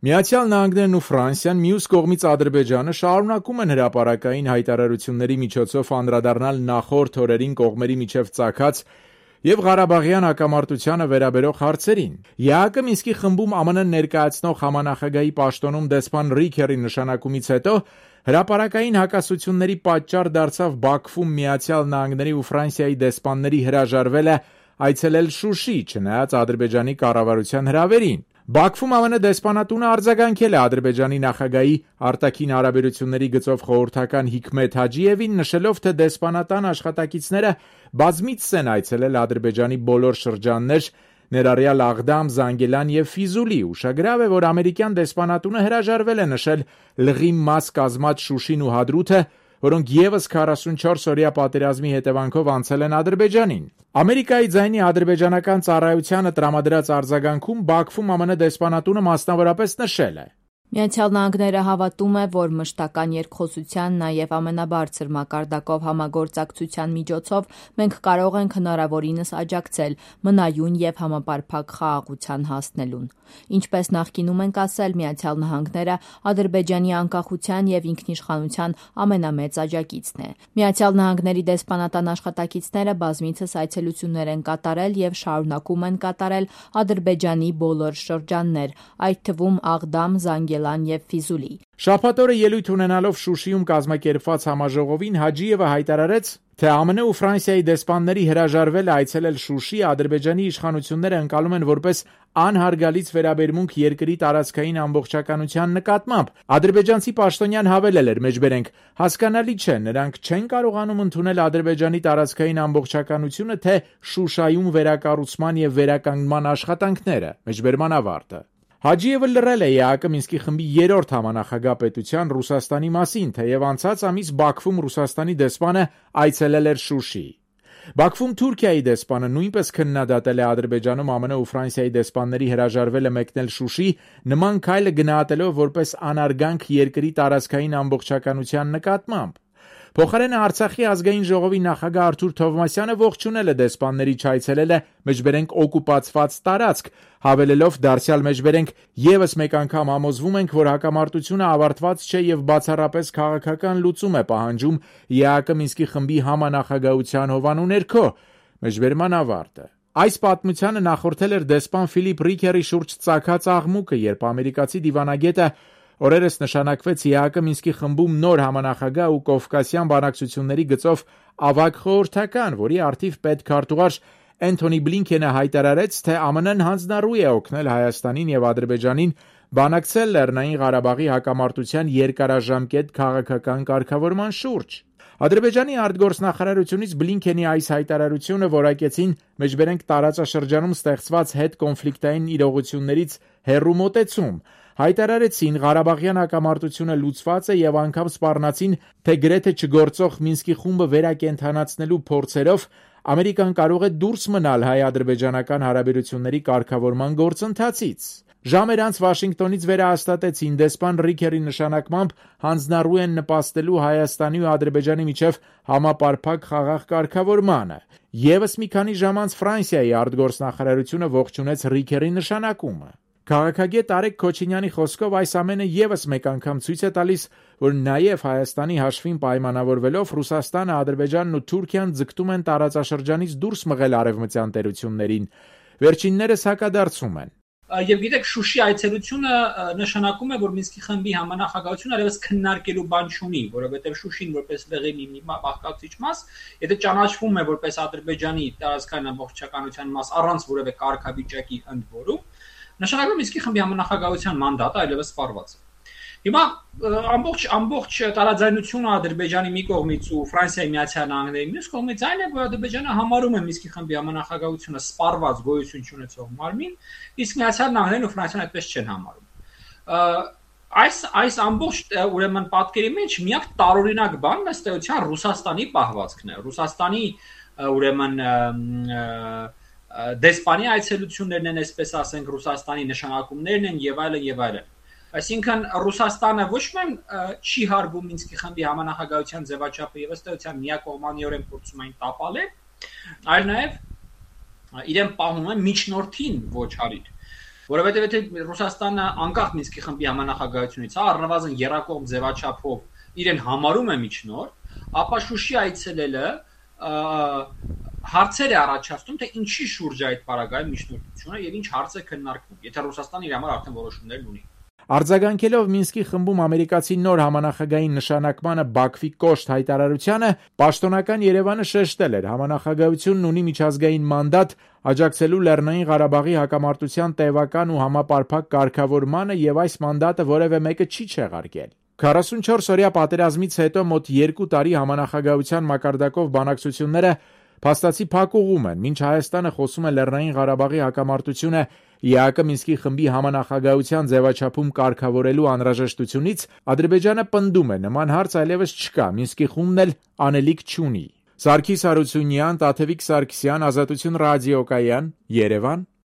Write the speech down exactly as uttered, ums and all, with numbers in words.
Միացյալ Նահանգներն ու Ֆրանսիան, մյուս կողմից Ադրբեջանը շարունակում են հրապարակային հայտարարությունների միջոցով անդրադառնալ նախորդ օրերին կողմերի միջև ծագած և Ղարաբաղյան հակամարտությանը վերաբերող հարցերին։ ԵԱՀԿ Մինսկի խմբում ԱՄՆ ներկայացնող համանախագահի պաշտոնում դեսպան Ռիքերի նշանակումից հետո հրապարակային հակասությունների պատճառ դարձավ Բաքվում Միացյալ Նահանգների ու Ֆրանսիայի դեսպանների հրաժարվելը այցելել Շուշի, չնայած Ադրբեջանի կառավարության հրավերին։ Բաքվում ԱՄՆ դեսպանատունը արձագանքել է Ադրբեջանի նախագահի արտաքին հարաբերությունների գծով խորհրդական Հիքմեթ Հաջիևին, նշելով, թե դեսպանատան աշխատակիցները բազմիցս են այցելել Ադրբեջանի բոլոր շրջաններ, ներառյալ Աղդամ, Զանգելան և Ֆիզուլի։ Ուշագրավ է, որ ամերիկյան դեսպանատունը հրաժարվել է նշել լղի մաս կազմած Շուշին ու Հադրութը, որոնք ևս քառասունչորս-օրյա պատերազմի հետևանքով անցել են Ադրբեջանին։ Ամերիկայի ձայնի ադրբեջանական ծառայությանը տրամադրած արձագանքում Բաքվում ԱՄՆ դեսպանատունը մասնավորապես նշել է. Միացյալ Նահանգները հավատում է, որ մշտական երկխոսության, նաև ամենաբարձր մակարդակով համագործակցության միջոցով մենք կարող ենք հնարավորինս աջակցել մնայուն և համապարփակ խաղաղության հասնելուն։ Ինչպես նախկինում ենք ասել, Միացյալ Նահանգները Ադրբեջանի անկախության և ինքնիշխանության ամենամեծ աջակիցն է։ Միացյալ Նահանգների դեսպանատան աշխատակիցները բազմիցս այցելություններ են կատարել և շարունակում են կատարել Ադրբեջանի բոլոր շրջաններ, այդ թվում Աղդամ, Զանգելան և Ֆիզուլի։ Շաբաթ օրը ելույթ ունենալով Շուշիում կազմակերպված համաժողովին Հաջիևը հայտարարեց, թե ԱՄՆ ու Ֆրանսիայի դեսպանների հրաժարվելը այցելել Շուշի Ադրբեջանի իշխանությունները ընկալում են որպես անհարգալից վերաբերմունք երկրի տարածքային ամբողջականության նկատմամբ։ Ադրբեջանցի պաշտոնյան հավելել էր. «Մեջբերենք, հասկանալի չէ, նրանք չեն կարողանում ընդունել Ադրբեջանի տարածքային ամբողջականությունը, թե Շուշայում վերակառուցման և վերականգնման աշխատանքները»։ Մեջբերման ավարտը։ Հաջիևը լռել է ԵԱՀԿ Մինսկի խմբի երրորդ համանախագահ պետության Ռուսաստանի մասին, թեև անցած ամիս Բաքվում Ռուսաստանի դեսպանը այցելել էր Շուշի։ Բաքվում Թուրքիայի դեսպանը նույնպես քննադատել է Ադրբեջանում ԱՄՆ ու Ֆրանսիայի դեսպանների հրաժարվելը մեկնել Շուշի, նման քայլը գնահատելով որպես անարգանք երկրի տարածքային ամբողջականության նկատմամբ։ Փոխարենը Արցախի ազգային ժողովի նախագահ Արթուր Թովմասյանը ողջունել է դեսպանների չայցելելը մեջբերենք օկուպացված տարածք, հավելելով դարձյալ մեջբերենք ևս մեկ անգամ համոզվում ենք, որ հակամարտությունը ավարտված չէ և բացառապես քաղաքական լուծում է պահանջում ԵԱՀԿ Մինսկի խմբի համանախագահության հովանու ներքո։ Մեջբերման ավարտը։ Այս պատմությանը նախորդել էր դեսպան Ֆիլիպ Ռիքերի շուրջ ծագած աղմուկը, երբ ամերիկացի դիվանագետը օրերս նշանակվեց ԵԱՀԿ Մինսկի խմբում նոր համանախագահ ու կովկասյան բանակցությունների գծով ավագ խորհրդական, որի առթիվ պետքարտուղար Էնթոնի Բլինքենը հայտարարեց, թե ԱՄՆ-ն հանձնառու է օգնել Հայաստանին և Ադրբեջանին բանակցել Լեռնային Ղարաբաղի հակամարտության երկարաժամկետ քաղաքական կարգավորման շուրջ։ Ադրբեջանի արտգործնախարարությունից Բլինքենի այս հայտարարությունը որակեցին մեջբերենք տարածաշրջանում ստեղծված հետկոնֆլիկտային իրողություններից հեռու մոտեցում։ Հայտարարեցին Ղարաբաղյան հակամարտությունը լուծված է և անգամ սպառնացին, թե գրեթե չգործող Մինսկի խումբը վերակենդանացնելու փորձերով Ամերիկան կարող է դուրս մնալ հայ-ադրբեջանական հարաբերությունների կարգավորման գործընթացից։ Ժամեր անց Վաշինգտոնից վերահաստատեցին դեսպան Ռիքերի նշանակմամբ հանձնառու են նպաստելու Հայաստանի ու Ադրբեջանի միջև համապարփակ խաղաղ կարգավորմանը։ Եվս մի քանի ժամ անց Ֆրանսիայի արտգործնախարարությունը ողջունեց Ռիքերի նշանակումը։ Քաղաքագետ Արեգ Քոչինյանի խոսքով այս ամենը ևս մեկ անգամ ցույց է տալիս, որ նաև Հայաստանի հաշվին պայմանավորվելով Ռուսաստանը, Ադրբեջանն ու Թուրքիան ձգտում են տարածաշրջանից դուրս մղել արևմտյան տերություններին։ Վերջիններս հակադարձում են։ Եվ գիտեք, Շուշի այցելությունը նշանակում է, որ Մինսկի խմբի համանախագահությունը այլևս քննարկելու բան չունի, որովհետև Շուշին որպես լեգիտիմ մի բաղկացուցիչ մաս, եթե ճանաչվում է որպես Ադրբեջանի տարածքային ամբողջականության մաս առանց որևէ կարգավիճակի ընդ որում, նշանակում է Մինսկի խմբի համանախագահության մանդատը այլևս սպառված է։ Հիմա ամբողջ ամբողջ տարաձայնությունը Ադրբեջանի մի կողմից ու Ֆրանսիայի Միացյալ Նահանգների մյուս կողմից այն է, որ Ադրբեջանը համարում է Մինսկի խմբի համանախագահությունը սպառված գոյություն չունեցող մարմին, իսկ Միացյալ Նահանգներն ու Ֆրանսիան այդպես չեն համարում։ Այս այս ամբողջ ուրեմն պատկերի մեջ միակ տարօրինակ բանն ըստ էության Ռուսաստանի պահվածքն է։ Ռուսաստանի ուրեմն դեսպանի այցելություններն են, այսպես ասենք, Ռուսաստանի նշանակումներն են եւ այլն եւ այլն։ Այսինքն Ռուսաստանը ոչ միայն չի հարգում Մինսկի խմբի համանախագահության ձևաչափը եւ ըստ էության միակողմանիորեն փորձում այն տապալել, այլ նաեւ իրեն պահում է միջնորդին ոչ հարիր, որովհետև եթե Ռուսաստանը անկախ Մինսկի խմբի համանախագահությունից, հա, առնվազն եռակողմ ձևաչափով իրեն համարում է միջնորդ, ապա Շուշի այցելելը հարցեր է առաջացնում, թե ինչի շուրջ է այդ պարագայում միջնորդությունը եւ ինչ հարց է քննարկվում, եթե Ռուսաստանը իր համար արդեն որոշումներ ունի։ Արձագանքելով Մինսկի խմբում ամերիկացի նոր համանախագահի նշանակմանը Բաքվի կոշտ հայտարարությանը, պաշտոնական Երևանը շեշտել էր, համանախագահությունն ունի միջազգային մանդատ աջակցելու Լեռնային Ղարաբաղի հակամարտության տևական ու համապարփակ կարգավորմանը եւ այս մանդատը որևէ մեկը չի չեղարկել։ քառասունչորս օրյա պատերազմից հետո մոտ երկու տարի համանախագահության մակարդակով բանակցությունները փաստացի փակուղում են, մինչ Հայաստանը խոսում է Լեռնային Ղարաբաղի հակամարտությունը ԵԱԿ Մինսկի խմբի համանախագահության ձևաչափում կարգավորելու անհրաժեշտությունից, Ադրբեջանը պնդում է նման հարց այլևս չկա, Մինսկի խումբն էլ անելիք չունի։ Սարգիս Հարությունյան, Տաթևիկ Սարգսյան, Ազատություն ռադիոկայան, Երևան։